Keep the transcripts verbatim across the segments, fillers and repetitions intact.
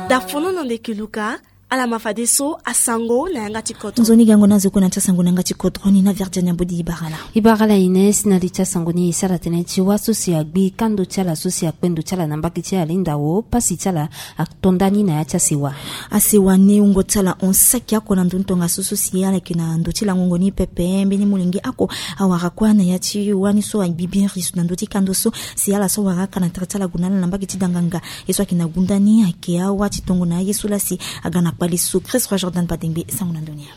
Dafono na ndeke luka. Ala ma fadeso asango na yanga ti kodro. Nzoni gango na zo kue na ti asango na yanga ti kodro ni na Virginia Bodi Ibarala. Ibarala Ines, na li ti asango ni e sara tënë ti wâ so si agbi kando ti ala so si akpe ndo ti ala na mbage ti alinda wo, pasi ti ala ato nda ni na ya ti asewa. Asewa ni wungo ti ala hon saki oko na ndö ni tongaso so si ala yeke na ndo ti langongo ni pepe. Mbeni molenge oko awara kua na ya ti wâ ni so agbi bien riso na ndö ti kando so si ala so awara aka na tere ti ala gue na ala na mbage ti danganga. Ye so ayeke na gunda ni ayeke awa ti tongo na aye so laa si aga na kpale so. Chris Roi Jordan Badengbe, sango na ndö ni.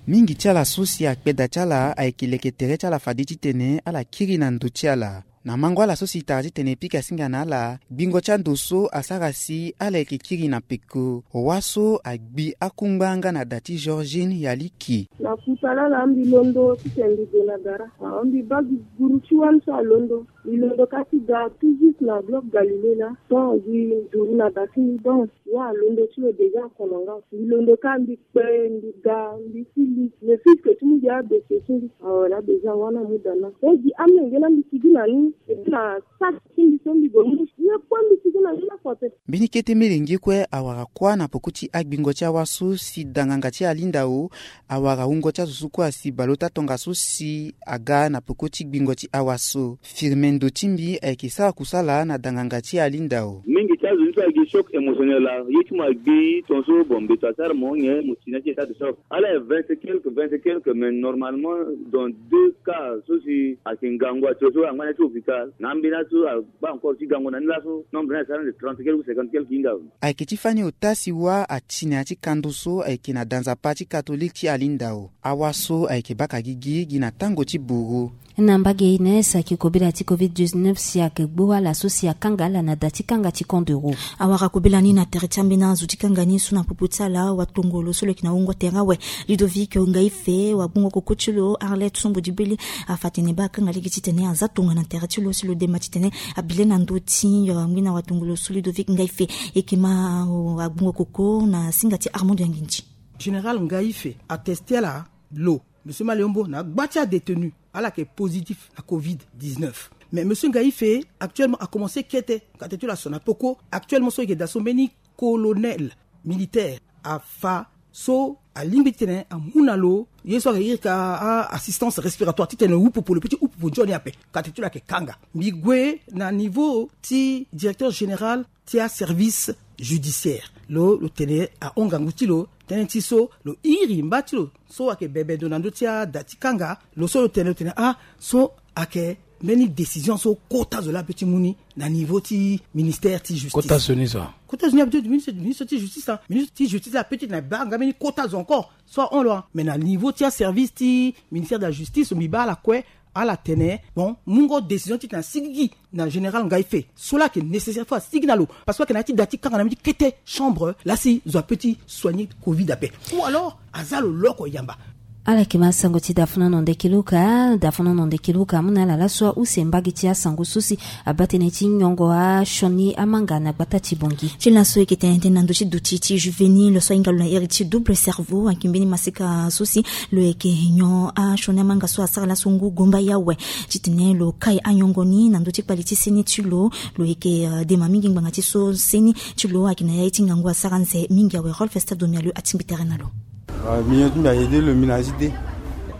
Mingi ti ala so si akpe da ti ala ayeke leke tere ti ala fade titene ala kiri na ndo ti ala. Na mango ala so si tara titene e pika singa na ala, gbingo ti ando so asara si ala yeke kiri na peko. Wâ so agbi akungba nga na da ti Georgine Yaliki. Na kuta lala mbi londo titene mbi gue na gara. Ah, mbi baa gi guru ti wâ ni so alondo. Mbi londo ka ti ga tout juste na bloc Galilée laa. Donc mbi duru na da ti mbi, donc wâ alondo ti lo déjà akono nga. Mbi londo ka mbi kpe, mbi ga, mbi si li. Le fils que ti mbi abese ti mbi. Awe, laa déjà wâ ni amu da na. Donc gi amenge laa mbi sigi na ni. Et puis na sac ti mbi so mbi gue mu. Ye kue mbi sigi na ni lakue ape. Mbeni kete melenge kue awara kuâ na peko ti agbingo ti awâ so si danganga ti alinda wo. Awara wungo ti azo so kue asi baleota tongaso si aga na peko ti gbingo ti awâ so. Firme ndo ti mbi ayeke sara kusala na danganga ti alinda wo. Mingi ti azo ni so agi choc émotionnel laa, ye ti mo agbi tongaso, bon, mbeto asara mo nyen, mo si na ti état de choc. Ala vingt et quelques, vingt et quelques, mais normalement dans deux cas so si ayeke ngangu ato so angba na ya ti hôpital, na ambeni ato so abaa encore ti gango na ni laso, nombre ni asara nde trente quelques ou cinquante quelques hinga. Ayeke ti fani ota si wâ ati na ya ti kando so ayeke na da nzapa ti katolike ti alinda wo. Awâ so ayeke baka gigi gi na tango ti buru. Na mbage Ines, ayeke kobela ti covid dix-neuf si ayeke gbu ala so si akanga ala na da ti kanga ti camp d'Euro. Awara kobela ni na tere ti ambeni azo ti kanga ni so na popo ti ala, watongolo so lo yeke na wungo tere awe, Ludovic Ngaife, wagbongo koko ti lo Arlette Sombo Dibeli, afa tene baa akanga lege titene aza tongana na tere ti lo si lo dema titene abi le na ndö ti, euh, ngbina watongolo so Ludovic Ngaife. E yeke ma, euh, agbongo koko na singa ti Armand Yangindji. Général Ngaife ateste ala lo, monsieur Maleombo, na gba ti adétenu, ala yeke positif na covid dix-neuf. Mais monsieur Ngaife actuellement akomanse kete, kate ti lo aso na peko. Actuellement so e yeke daa so mbeni colonel militaire afa so alingbi titene amu na lo ye so ayeke iri ka a-assistance respiratoire titene hupopo, lo peut ti hupopo nzoni ape. Kate ti lo ayeke kanga. Mbi gue na niveau ti directeur général ti aservice judiciaire. Lo, lo tene ahon ngangu ti lo, tënë ti so lo iri mba ti lo so ayeke bebe ndo na ndö ti ada ti kanga. Lo so lo tene, lo tene ah, so ayeke mbeni décision so kota zo laa ape ti mu ni na niveau ti ministère ti justice. Kota zo ni so? Kota zo ni ape ti ministre, ministre ti justice, ah. Ministre ti justice laa ape ti tene abaa nga mbeni kota zo encore so ahon lo, ah. Mais na niveau ti aservice ti ministère de la justice, mbi baa ala kue, ala tene bon, mungo décision titene asigigi na général Ngaife so laa ayeke nécessaire fo asigi na lo, parce que ayeke na ya ti da ti kanga na mbeni kete chambre laa si zo ape ti soigner covid ape. Ou alors aza lo loko yamba. Ala yeke ma sango ti Dafono Nonde Kiluka. Dafono Nonde Kiluka amu na ala laso use mbage ti asango so si abaa tënë ti nyongo asioni amanga na gbata ti Bongi. Ti laso e yeke tene tënë na ndö ti duti ti juvénile so ahinga lo na iri ti double cerveau, ayeke mbeni maseka so si lo yeke nyon asioni amanga so asara laso ngu gomba ya awe. Titene lo kai anyongo ni na ndö ti kpali ti seni ti lo. Lo yeke, euh, dema mingi ngbanga ti so seni ti lo ayeke na ya ye ti ngangu asara nze mingi awe. Rolf Esther Domialeux atingbi tere na lo. Ah, mbi nyon ti mbi ayede lo mbi na azi te.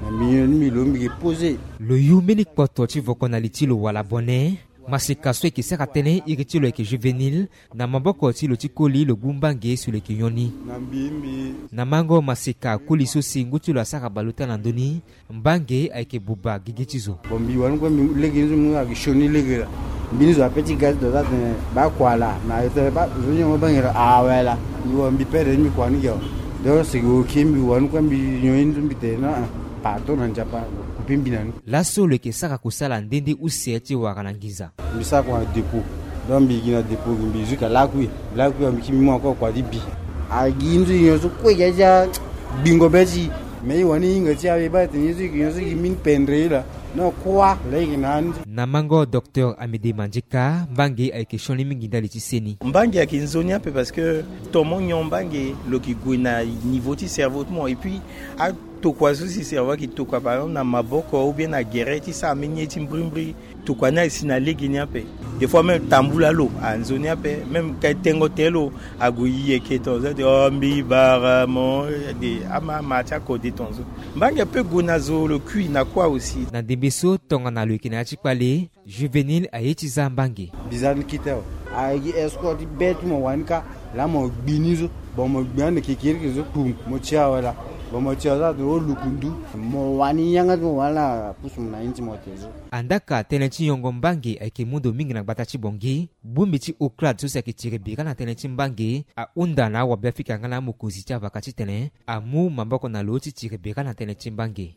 Na mbi nyon ti mbi lo mbi yeke pose. Lo yu mbeni kpoto ti voko na li ti lo wala bone. Maseka so e yeke sara tënë iri ti lo ayeke juvénile. Na maboko ti lo ti koli lo gbu mbange si lo yeke nyon ni. Na mbi mbi. Na mango maseka koli so si ngu ti lo asara baleota na ndö ni, mbange ayeke buba gigi ti zo. Bon, mbi wani kue mbi lege ni so mbi ayeke sioni lege laa. Mbeni zo ape ti ga ti do so atene baa kua laa, na e tene baa zo ni yongo mbange laa, awe laa. Mbi wa mbi pere ni mbi kua ni ge awe. Donc seke oke mbi wani kue mbi nyon ye ni so mbi tene non, pardon na Nzapa, kupe mbi na ni. Laso lo yeke sara kusala nde nde use ti wara na nginza. Mbi sara kua na dépôt. Donc mbi gi na dépôt gi mbi zwi ka lakui. Lakui mbi kiri mbi mu encore kua ti bi. Agi nzoni nyon so kue gi aza gbingo be ti. Mais e wani hinga ti awe baa tene nyon so gi nyon so gi mini pendre ye laa. Non kua laa e gi na ni. Na mango docteur Amédée Mandjeka, mbange ayeke sioni mingi ndali ti seni. Mbange ayeke nzoni ape parce que ton mo nyon mbange lo yeke gue na niveau ti cerveau ti mo et puis a Tokua so si cerveau ayeke tokua par exemple na maboko ou bien na gere ti sara mbeni ye ti mbrimbri. Tokua ni asi na lege ni ape. Des fois même tambula lo anzoni ape, même ka tengo te lo ague yeke tonzo de o mbi bara mo de ama ama ti akode tonzo. Mbangi ape gue na zo lo kui na kuâ aussi. Na ndembe so tongana lo yeke na ya ti kpale, Juvénile aye ti za mbangi. Bizarre ni kite awe. Aye gi escort ti be ti mo wani ka. Laa mo gbi ni so. Bon mo gbi ande kekiriki so kpum mo ti awe laa. Bon mo ti awe so ate o lukundu. Mo wani yanga ti mo wani laa pusu mo na ye ti mo te so. Andaka tënë ti yongo mbangi ayeke mu ndo mingi na gbata ti Bangui. Bongbi ti Oclad so si ayeke tiri bira na tënë ti mbangi ahunda na awabeafrika nga na amokonzi ti avaka titene amu maboko na lo ti tiri bira na tënë ti mbangi.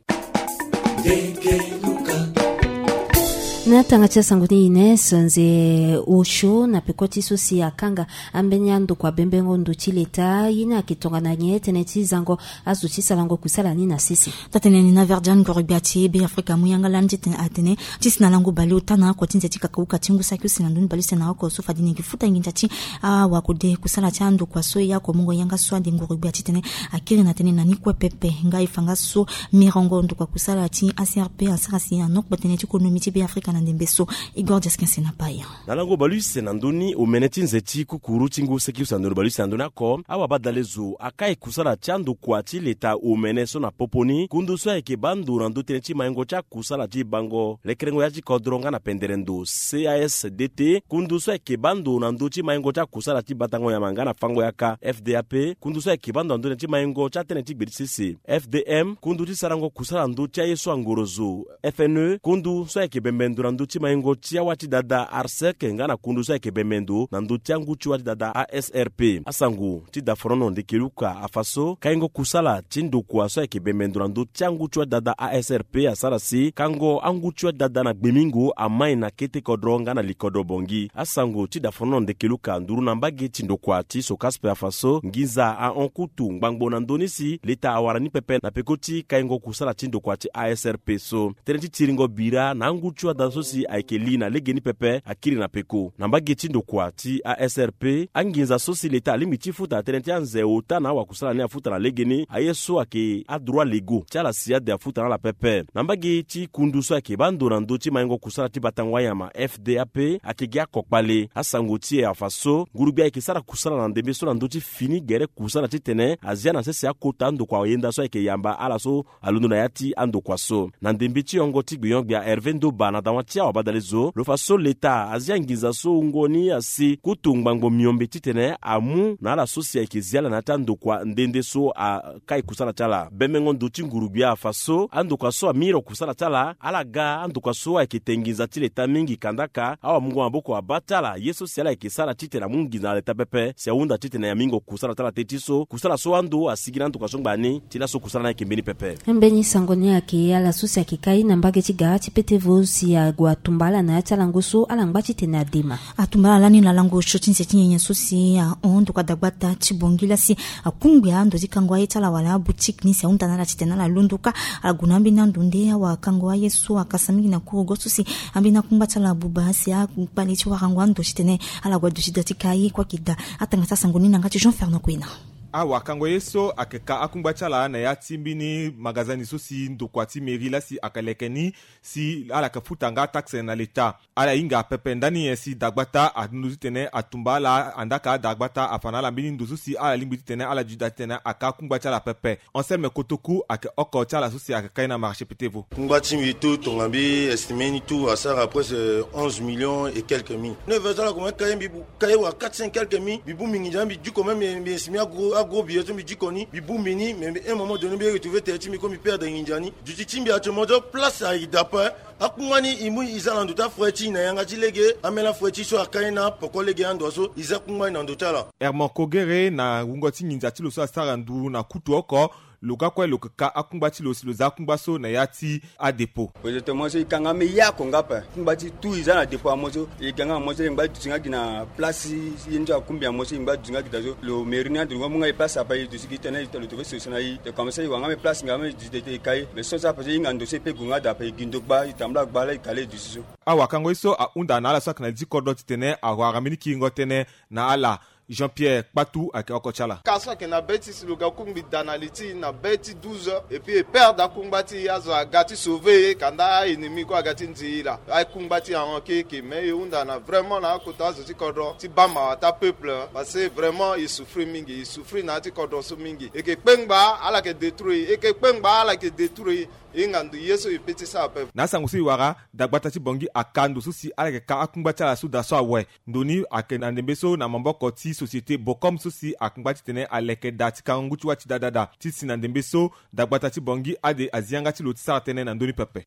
Na tanga ti asango ni Ines Nze Osho na peko ti so si akanga ambeni andokua bembengo ndo ti leta ye ni ayeke tongana nyen tënë ti zango azo ti sarango kusala ni na sese. Taa-tënë ni na Verdiane ngoro gbia ti Beafrika amu yanga lani titene atene ti si na lango baleota na oko ti nze ti kakauka ti ngu saki use na ndoni baleuse na oko so fade ni yeke futa nginza ti awakode kusala ti andokua so e oko mungo yanga so ade ngoro gbia titene akiri na tënë na ni kue pepe. Nga e fa nga so mirongo ndokua kusala ti A C R P asara si anokpe tënë ti konomi ti Beafrika na ndembe so. Igor Diaskense na paya. Na lango baleuse na ndoni omene ti nze ti kukuru ti ngu saki use na ndoni baleuse na ndoni oko awabadale zo akai kusala ti andokua ti leta omene so na popo ni kundu so ayeke baa ndo na ndö tënë ti maingo ti akusala ti bango lekerengo ya ti kodro nga na pendere ndo C A S D T. Kundu so ayeke baa ndo na ndö ti maingo ti akusala ti batango nyama nga na fango yaka F D A P. Kundu so ayeke baa ndo na ndö tënë ti maingo ti atënë ti gbe ti sese F D M. Kundu ti sarango kusala ndö ti aye so angoro zo F N E. Kundu so ayeke bembe ndo na ndö ti maingo ti awa ti dada ARSEC nga na kundu so ayeke bembe ndo na ndö ti angu ti wa ti dada A S R P. Asango ti daforono ndeke luka afa so kaingo kusala ti ndokua so ayeke bembe ndo na ndö ti angu ti wa ti dada A S R P asara si kango angu ti wa ti dada na gbemingo amai na kete kodro nga na likodro Bangui. Asango ti daforono ndeke luka nduru na mbage ti ndokua ti so kaspe afa so nginza ahon kutu ngbangbo na ndö ni si leta awara ni pepe na peko ti kaingo kusala ti ndokua ti A S R P so. Tënë ti tiringo bira na angu ti wa dada so si ayeke li na legeni pepe akiri na peko na mbage ti ndokua ti A S R P. Anginza so si leta alingbi ti futa na tënë ti anze ota na awakusala ni afuta na legeni aye so ayeke adroit légaux ti ala si ade afuta na ala pepe. Na mbage ti kundu so ayeke baa ndo na ndö ti maingo kusala ti batango anyama F D A P ayeke gi akokpale. Asango ti e afa so ngurugbia ayeke sara kusala na ndembe so na ndö ti fini gere kusala titene azia na sese akota andokua yenda so ayeke yamba ala so alondo na ya ti andokua so. Na ndembe ti yongo ti gbion-gbia Hervé Ndoba na dawa ti awabadale zo lo fa so leta azia nginza so wungo ni asi kutu ngbangbo miombe titene amu na ala so si ayeke zi ala na ya ti andokua nde nde so akai kusala ti ala. Bembengo ndo ti ngurugbia afa so andokua so amiri kusala ti ala ala ga andokua so ayeke te nginza ti leta mingi kandaka awamungo maboko abaa ti ala ye so si ala yeke sara titene amu nginza na leta pepe si ahunda titene amingo kusala ti ala te ti so kusala so ando asigi na andokua so ngbani ti laso kusala ni ayeke mbeni pepe. Mbeni sango ni ayeke ala so si ayeke kai na mbage ti ga ti pete vo si ague atumba ala na ya ti alango so ala ngba titene adema. Atumba ala lani na lango osio ti nze ti nyenye so si ahon ndokua dagbata ti Bangui laa si akungbi ando ti kango aye ti ala wala aboutique ni si ahunda na ala titene ala londo kâ. Ala gue na ambeni ando nde awakango aye so akasa mingi na kurugo so si ambeni akungba ti ala abuba si akpale ti warango ando titene ala gue aduti da ti kai kue ayeke daa. Atanga ti asango ni na yanga ti Jean Fernand Kouina. Awakango ye so ayeke ka akungba ti ala na ya ti mbeni magazini so si ndokua ti mairie laa si ayeke leke ni si ala yeke futa nga taxe na leta. Ala hinga pepe ndani nyen si dagbata alondo titene atumba ala andaka dagbata afa na ala mbeni ndo so si ala lingbi titene ala duti da titene aka akungba ti ala pepe. Anselme Kotoku ayeke oko ti ala so si ayeke kai na marché pete vo. Kungba ti mbi tout tonga mbi estimé ni tout asara presque onze millions et quelques mille. Neuf heures ti ala koma kai mbi bu kai wa quatre cents quelques mille mbi bu mbi nginza mbi diko même mbi estimé agros agros billet so mbi diko ni mbi bu mbi ni mais un moment donné mbi retrouvé tere ti mbi comme mbi perdre nginza ni. Duti ti mbi actuellement so place ayeke da ape. Akungba ni e mu e za na ndo ti afreti na yanga ti lege. Ameni afreti so akai na poko lege ando so e za kungba ni na ndo ti ala. Herman Kogere na wungo ti nginza ti lo so asara nduru na kutu oko. Lo ga kue lo yeke ka akungba ti lo si lo za akungba so na ya ti adépôt. Présentement so e ka nga ambeni ye oko nga ape. Kungba ti tout e za na dépôt amoso e ga nga amoso e ngba duti nga gi na place ye ni so akumbi amoso e ngba duti nga gi da so lo mairie ni ando lo nga mu nga e place ape e duti gi tene e ta lo to ve solution na e. Te comme ça e wara nga ambeni place nga ambeni duti de te e kai mais so so ape so e hinga ndo so e pe gue nga da ape e gi ndo gba e tambula gba laa e ka laa e duti so. Awakango ye so ahunda na ala so ayeke na li ti kodro titene awara mbeni kiringo tënë na ala. Jean-Pierre Kpatu ayeke oko ti ala. Ka so ayeke na be ti si lo ga kungbi da na li ti e na be ti douze heures, et puis e perdre akungba ti e, azo aga ti sauver e, kanda a-ennemi kue aga ti nzi e laa. Akungba ti e ahon keke, mais e hunda na vraiment na akota azo ti kodro ti baa mawa ti apeuple, parce que vraiment e souffrir mingi, e souffrir na ya ti kodro so mingi. E yeke kpengba ala yeke détruire, e yeke kpengba ala yeke détruire. Hinga ndo ye so e peut ti sara ape. Na asango so e wara, dagbata ti Bangui aka ndo so si ala yeke ka akungba ti ala so daa so awe. Ndo ni ayeke na ndembe so na maboko ti société Bocom so si akungba titene aleke daa ti kango ngu ti wâ ti daa daa daa. Ti si na ndembe so, dagbata ti Bangui ade azi yanga ti lo ti sara tënë na ndö ni pepe.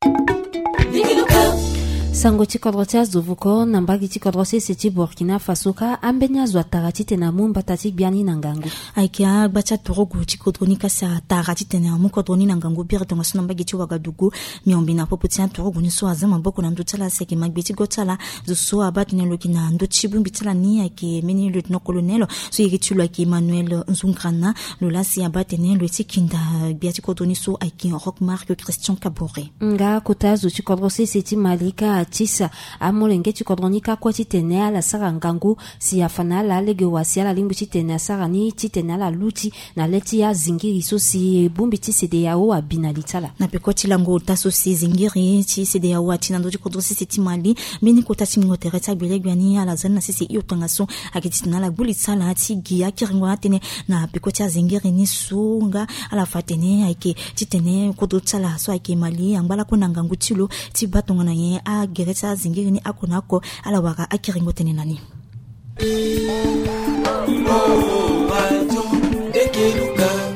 Sango ti kodro ti azo voko na mbage ti kodro sese ti Burkina Faso ka, ambeni azo atara titene amu mbata ti gbia ni na ngangu. Ayeke agba ti aturugu ti kodro ni ka si atara titene amu kodro ni na ngangu biri tongaso na mbage ti Ouagadougou. Miombe na popo ti aturugu ni so aza maboko na ndö ti ala si ayeke magbe ti go ti ala. Zo so abaa tene lo yeke na ndö ti bongbi ti ala ni ayeke mbeni lieutenant colonel so iri ti lo ayeke Emmanuel Nzungrana. Lo laa si abaa tene lo ye ti kinda gbia ti kodro ni so ayeke Rock Marc Christian Kabore. Nga kota azo ti kodro sese ti Mali ka atisa amolenge ti kodro ni ka kue titene ala sara ngangu si afa na ala lege wa si ala lingbi titene asara ni titene ala luti na le ti azingiri so si bongbi ti CEDEAO abi na li ti ala. Na peko ti lango ota so si zingiri ti CEDEAO ati na ndö ti kodro sese ti Mali, mbeni kota ti ngingo tere ti agbelegbe ni ala za ni na sese hio tongaso ayeke titene ala gbu li ti ala ti gi akiringo atënë na peko ti azingiri ni so nga ala fa atene ayeke titene kodro ti ala so ayeke Mali angba lakue na ngangu ti lo ti baa tongana nyen agere ti azingiri ni oko na oko. Ala wara akiringo tene na ni.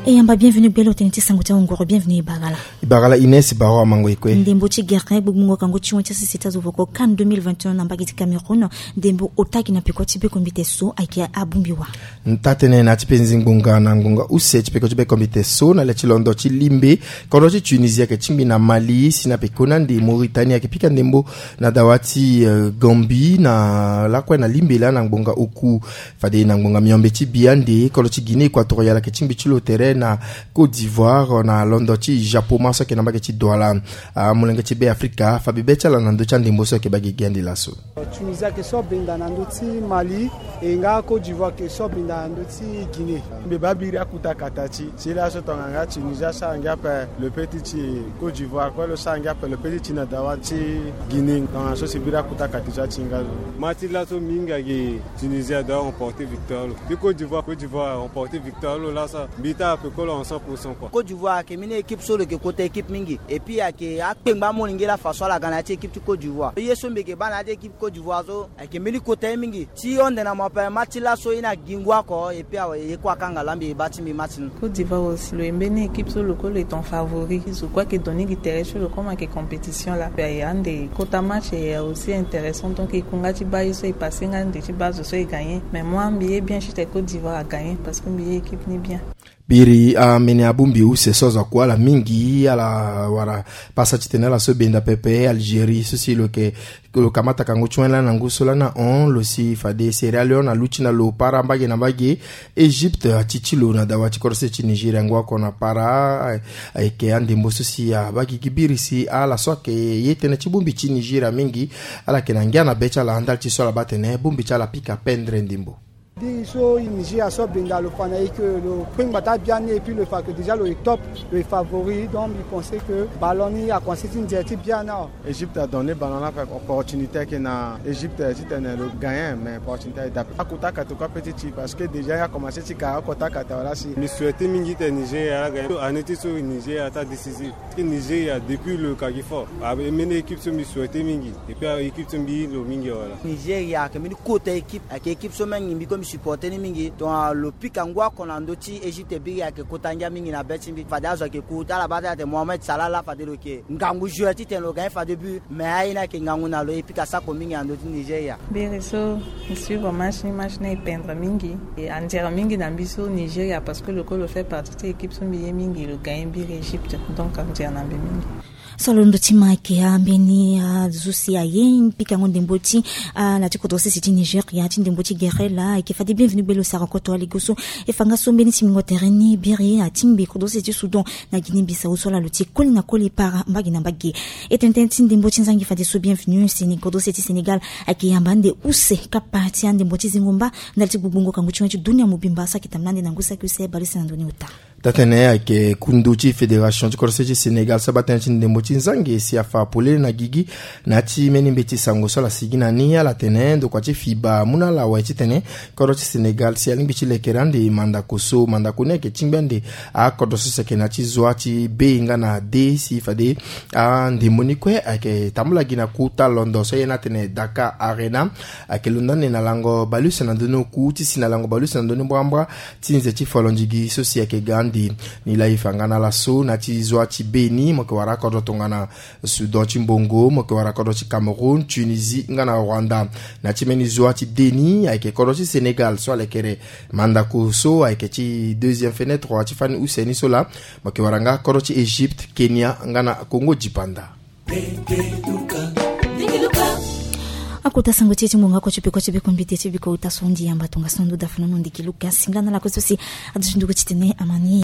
E yamba bienvenu gbele otene ti sango ti awongoro, bienvenu e bagala. E bagala Ines Baro amango e kue. Ndembo ti gere gbongbongo kango ti wen ti asese ti azo voko CAN deux mille vingt et un na mbage ti Cameroun. Ndembo ota ayeke na peko ti bekombite so ayeke abongbi wa. Taa-tënë na ya ti penzi ngbonga na ngbonga use ti peko ti bekombite so na le ti londo ti limbe, kodro ti Tunisie ayeke tingbi na Mali si na pekoni ande Mauritanie ayeke pika ndembo na dawa ti, eh, Gambie na lakue na limbe laa na ngbonga oku. Fade na ngbonga miombe ti bi ande, kodro ti Guinée Équatoriale ayeke tingbi ti lo tere na Côte d'Ivoire na londo ti Japoma so ayeke na mbage ti Douala. Amolenge ti Be Afrika fa bebe ti ala na ndö ti andembo so ayeke baa gigi ande laso. Tunisie ayeke so benda na ndö ti Mali, e nga Côte d'Ivoire ayeke so benda na ndö ti Guinée. Mbi baa biri akuta kata ti si laso tongana nga Tunisie asara ngia ape lo peut ti tï Côte d'Ivoire kue lo sara ngia ape lo peut ti tï na dawa ti Guinée. Tongana so si biri akuta kata ti atinga lo. Match ti laso mingi ayeke Tunisie adoit remporter victoire lo. Ti Côte d'Ivoire, Côte d'Ivoire aremporter victoire lo laso. Mbi taa ape kue lo en cent pour cent quoi. Côte d'Ivoire ayeke mbeni équipe so lo yeke kota équipe mingi. Et puis ayeke akpengba amolenge laa façon ala ga na ya ti équipe ti Côte d'Ivoire. Ye so mbi yeke baa na ya ti équipe Côte d'Ivoire so ayeke mbeni kota ye mingi. Ti honde na mo ape match ti laso e na gi ngu oko et puis awe ye kue akanga laa mbi e baa ti mbi match ni. Côte d'Ivoire aussi lo ye mbeni équipe so lo kue lo ye ton favori. Zo kue ayeke donner gi tere ti lo comme ayeke compétition laa. Mbi aye ande kota match e aussi intéressant, donc e ku nga ti baa ye so e passé nga ande ti baa zo so e gagné. Mais moi mbi ye bien juste Côte d'Ivoire a gagné parce que mbi ye équipe ni bien. Biri amene abongbi use so azo aku ala mingi ala wara pasa titene ala so benda pepe Algérie so si lo yeke lo kamata kango ti wen laa na ngu so laa na hon lo si fade Sierra Leone aluti na lo para mbage na mbage. Égypte ati ti lo na dawa ti korose ti Nigeria ngu oko na para. Ayeke andembo so si abaa gigi biri si ala so ayeke ye tënë ti bongbi ti Nigeria mingi ala yeke na ngia na be ti ala ndali ti so ala baa tene bongbi ti ala apika pendre ndembo. Biri so Nigeria so benda lo fa na e ke lo kpengba ti abiani et puis lo fa ke déjà lo ye top, lo ye favori, donc mbi pense ke ballon ni akomanse ti nzere ti biani awe. Égypte adonne ballon ni ape, opportunité ayeke na Égypte titene lo gagné mais opportunité aye dape. Akota kate kue ape ti tï parce que déjà e akomanse ti ka akota kate awe laa si. Mbi souhaite mingi titene Nigeria agagné. Année ti so Nigeria ata décisif. Nigeria depuis lo kaki fort. Ambeni équipe so mbi souhaite mingi et puis équipe so mbi lo mingi awe laa. Nigeria ayeke mbeni kota équipe, ayeke équipe so même mbi kue mbi supporte ni mingi. Donc lo pika ngu oko na ndö ti Égypte biri ayeke kota ngia mingi na be ti mbi. Fade azo ayeke ku ti ala baa ti ala tene Mohamed Salah laa fade lo yeke ngangu joueur titene lo gagné fade but. Mais aye ni ayeke ngangu na lo e pika sako mingi na ndö ti Nigeria. Biri so mbi suivre match ni, match ni e pendre mingi. E anzere mingi na mbi so Nigeria parce que lo kue lo fait partie ti équipe so mbi ye mingi lo gagné biri Égypte. Donc anzere na mbi mingi. Solondo ti ma ayeke ambeni azo si aye pikango ndembo ti ala ti kodro sese ti Nigeria ti ndembo ti gere laa ayeke fade bienvenu belo sara koto alego so. E fa nga so mbeni simingo tere ni biri atingbi kodro sese ti Soudan na Guinée Bissau so ala lo ti koli na koli para mbage na mbage. E tene tënë ti ndembo ti nzangi fadeso bienvenu seni kodro sese ti Sénégal ayeke yamba ande use kapa ti andembo ti zingo mba ndali ti gbongbongo kangu ti wen ti dunia mobimba so ayeke tambula ande na ngu saki use bale si na ndoni ota. Taa-tënë ayeke kundu ti fédération ti kodro sese ti Sénégal so abaa tënë ti ndembo ti nzangi si afa polele na gigi na ya ti mbeni mbeti sango so ala sigi na ni ala tene ndokua ti fiba amu na ala awe titene kodro ti Sénégal si alingbi ti lekere ande mandako so mandako ni ayeke tingbi ande akodro so si ayeke na ya ti zwa ti be nga na de si fade andembo ni kue ayeke tambula gi na kota londo so aye ni atene Dakar Arena. Ayeke londo ande na lango baleuse na ndoni oku ti si na lango baleuse na ndoni mbrambra ti nze ti folondigi so si ayeke ga ande. Ni laa e fa nga na ala so na ya ti zwa ti be ni mo yeke wara akodro tongana Soudan ti mbongo, mo yeke wara kodro ti Cameroun, Tunisie nga na Rwanda. Na ya ti mbeni zwa ti de ni ayeke kodro ti Sénégal so alekere mandako so ayeke ti deuxième fenêtre wa ti fani use ni so laa mo yeke wara nga kodro ti Égypte, Kenya nga na Congo dipanda. Akota sango ti e ti ngonga oko ti peko ti bekombite ti biko uta so ndi yamba tongaso ndo dafanono ndiki luka singla na lako so si aduti nduku titene amani.